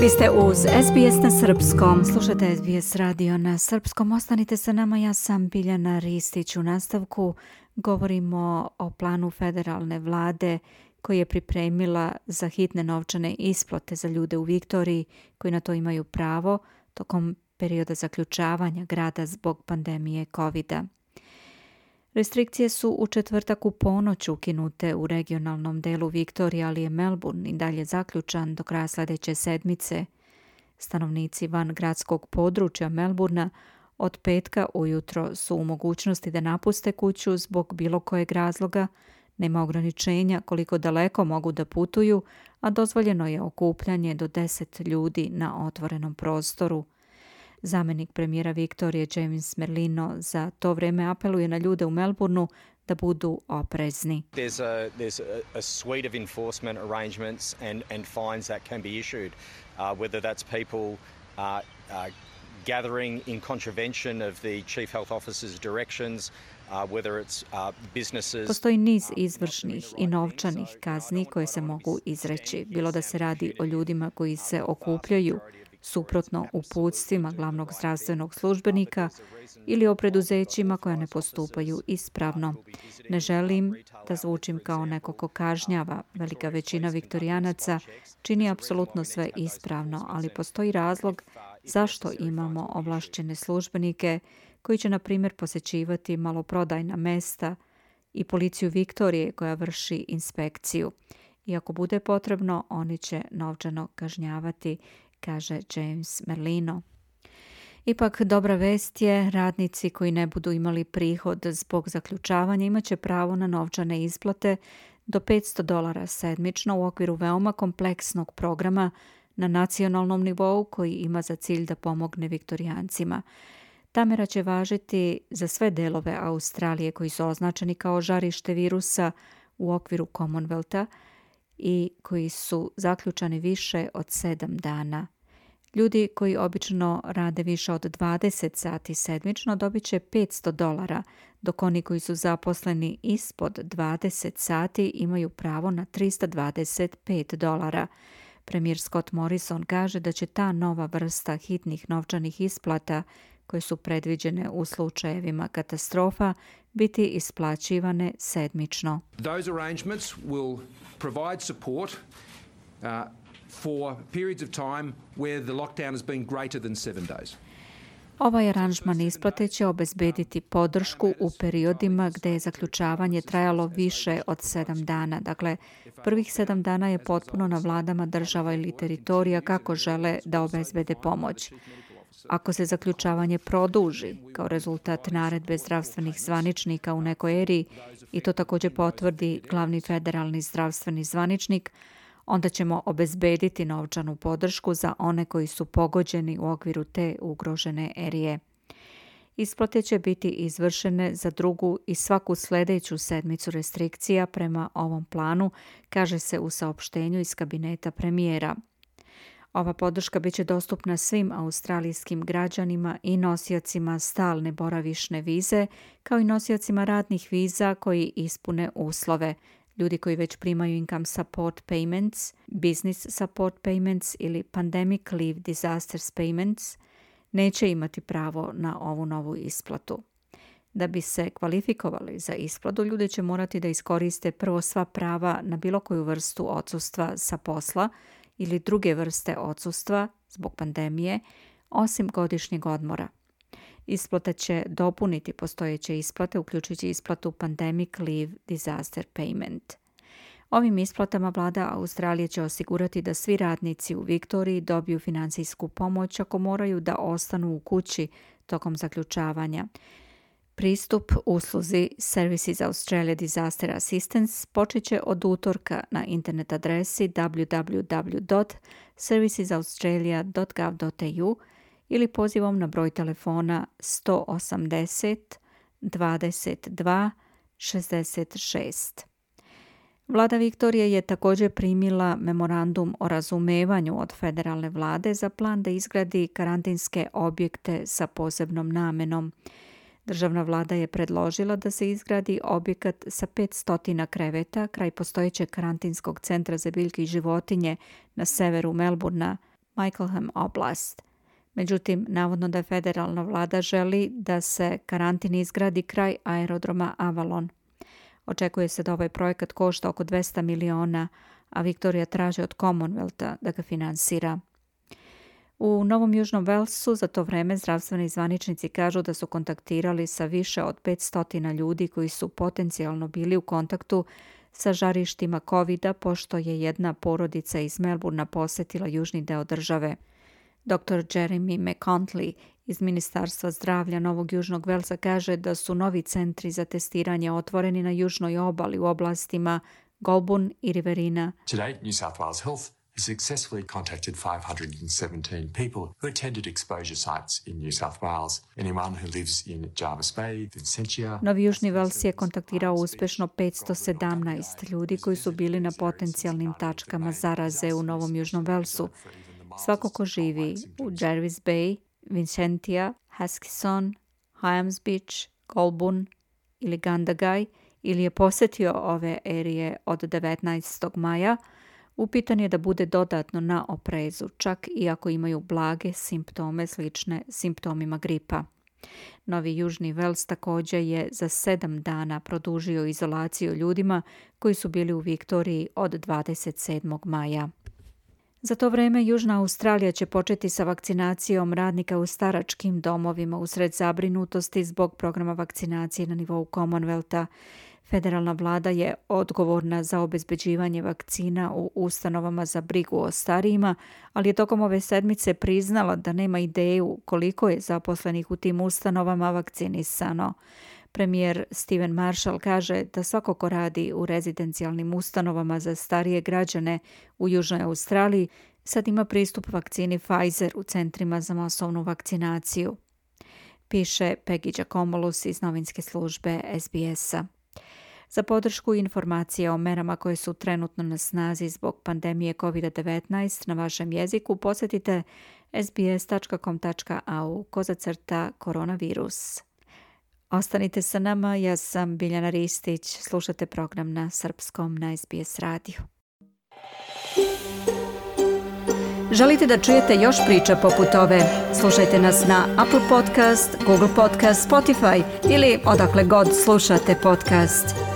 Vi ste uz SBS na srpskom. Slušajte SBS radio na srpskom. Ostanite sa nama, ja sam Biljana Ristić. U nastavku govorimo o planu federalne vlade koji je pripremila za hitne novčane isplate za ljude u Viktoriji koji na to imaju pravo tokom perioda zaključavanja grada zbog pandemije COVID-a. Restrikcije su u četvrtak u ponoć ukinute u regionalnom delu Viktorije, ali je Melbourne i dalje zaključan do kraja sljedeće sedmice. Stanovnici van gradskog područja Melbournea od petka ujutro su u mogućnosti da napuste kuću zbog bilo kojeg razloga. Nema ograničenja koliko daleko mogu da putuju, a dozvoljeno je okupljanje do 10 ljudi na otvorenom prostoru. Zamjenik premijera Viktorije James Merlino za to vrijeme apeluje na ljude u Melbourneu da budu oprezni. There's a suite of enforcement arrangements and fines that can be issued, whether that's people gathering in contravention of the Chief Health Officer's directions, whether it's businesses. Postoji niz izvršnih i novčanih kazni koje se mogu izreći, bilo da se radi o ljudima koji se okupljaju suprotno uputstvima glavnog zdravstvenog službenika ili o preduzećima koja ne postupaju ispravno. Ne želim da zvučim kao neko ko kažnjava. Velika većina Viktorijanaca čini apsolutno sve ispravno, ali postoji razlog zašto imamo ovlašćene službenike koji će, na primjer, posjećivati maloprodajna mesta i policiju Viktorije koja vrši inspekciju. I ako bude potrebno, oni će novčano kažnjavati, kaže James Merlino. Ipak, dobra vest je, radnici koji ne budu imali prihod zbog zaključavanja imat će pravo na novčane isplate do $500 sedmično u okviru veoma kompleksnog programa na nacionalnom nivou koji ima za cilj da pomogne Viktorijancima. Ta mera će važiti za sve delove Australije koji su označeni kao žarište virusa u okviru Commonwealtha i koji su zaključani više od 7 dana. Ljudi koji obično rade više od 20 sati sedmično dobit će $500, dok oni koji su zaposleni ispod 20 sati imaju pravo na $325. Premijer Scott Morrison kaže da će ta nova vrsta hitnih novčanih isplata koje su predviđene u slučajevima katastrofa biti isplaćivane sedmično. Those arrangements will provide support for periods of time where the lockdown has been greater than 7 days. Ovaj aranžman isplate će obezbediti podršku u periodima gde je zaključavanje trajalo više od 7 dana. Dakle, prvih 7 dana je potpuno na vladama država ili teritorija kako žele da obezbede pomoć. Ako se zaključavanje produži kao rezultat naredbe zdravstvenih zvaničnika u nekoj eriji i to također potvrdi glavni federalni zdravstveni zvaničnik, onda ćemo obezbediti novčanu podršku za one koji su pogođeni u okviru te ugrožene erije. Isplate će biti izvršene za drugu i svaku sljedeću sedmicu restrikcija prema ovom planu, kaže se u saopštenju iz kabineta premijera. Ova podrška biće dostupna svim australijskim građanima i nosiocima stalne boravišne vize, kao i nosiocima radnih viza koji ispune uslove. Ljudi koji već primaju income support payments, business support payments ili pandemic leave disasters payments neće imati pravo na ovu novu isplatu. Da bi se kvalifikovali za isplatu, ljudi će morati da iskoriste prvo sva prava na bilo koju vrstu odsustva sa posla ili druge vrste odsustva zbog pandemije, osim godišnjeg odmora. Isplata će dopuniti postojeće isplate, uključujući isplatu Pandemic Leave Disaster Payment. Ovim isplatama vlada Australije će osigurati da svi radnici u Viktoriji dobiju financijsku pomoć ako moraju da ostanu u kući tokom zaključavanja. Pristup usluzi Services Australia Disaster Assistance počet će od utorka na internet adresi www.servicesaustralia.gov.au ili pozivom na broj telefona 180 22 66. Vlada Viktorije je također primila memorandum o razumevanju od federalne vlade za plan da izgradi karantinske objekte sa posebnom namenom. Državna vlada je predložila da se izgradi objekat sa 500 kreveta kraj postojećeg karantinskog centra za biljke i životinje na severu Melbournea, Michaelham oblast. Međutim, navodno da federalna vlada želi da se karantin izgradi kraj aerodroma Avalon. Očekuje se da ovaj projekat košta oko 200 miliona, a Viktorija traži od Commonwealtha da ga finansira. U Novom Južnom Walesu za to vreme zdravstveni zvaničnici kažu da su kontaktirali sa više od 500 ljudi koji su potencijalno bili u kontaktu sa žarištima COVID-a, pošto je jedna porodica iz Melbournea posjetila južni deo države. Dr. Jeremy McContley iz Ministarstva zdravlja Novog Južnog Walesa kaže da su novi centri za testiranje otvoreni na južnoj obali u oblastima Goulburn i Riverina. Today, New South Wales Health has successfully contacted 517 people who attended exposure sites in New South Wales. Anyone who lives in Jervis Bay, Vincentia... Novi Južni Wales je kontaktirao uspešno 517 ljudi koji su bili na potencijalnim tačkama zaraze u Novom Južnom Walesu. Svako ko živi u Jervis Bay, Vincentia, Huskisson, Hyams Beach, Goulburn ili Gundagay ili je posjetio ove erije od 19. maja, upitan je da bude dodatno na oprezu, čak i ako imaju blage simptome slične simptomima gripa. Novi Južni Wales također je za 7 dana produžio izolaciju ljudima koji su bili u Viktoriji od 27. maja. Za to vreme Južna Australija će početi sa vakcinacijom radnika u staračkim domovima usred zabrinutosti zbog programa vakcinacije na nivou Commonwealtha. Federalna vlada je odgovorna za obezbeđivanje vakcina u ustanovama za brigu o starijima, ali je tokom ove sedmice priznala da nema ideju koliko je zaposlenih u tim ustanovama vakcinisano. Premijer Stephen Marshall kaže da svako ko radi u rezidencijalnim ustanovama za starije građane u Južnoj Australiji sad ima pristup vakcini Pfizer u centrima za masovnu vakcinaciju, piše Peggy Giacomolos iz novinske službe SBS-a. Za podršku i informacije o merama koje su trenutno na snazi zbog pandemije COVID-19 na vašem jeziku posjetite sbs.com.au/koronavirus. Ostanite sa nama, ja sam Biljana Ristić, slušate program na srpskom na SBS radiju. Želite da čujete još priča poput ove? Slušajte nas na Apple Podcast, Google Podcast, Spotify ili odakle god slušate podcast.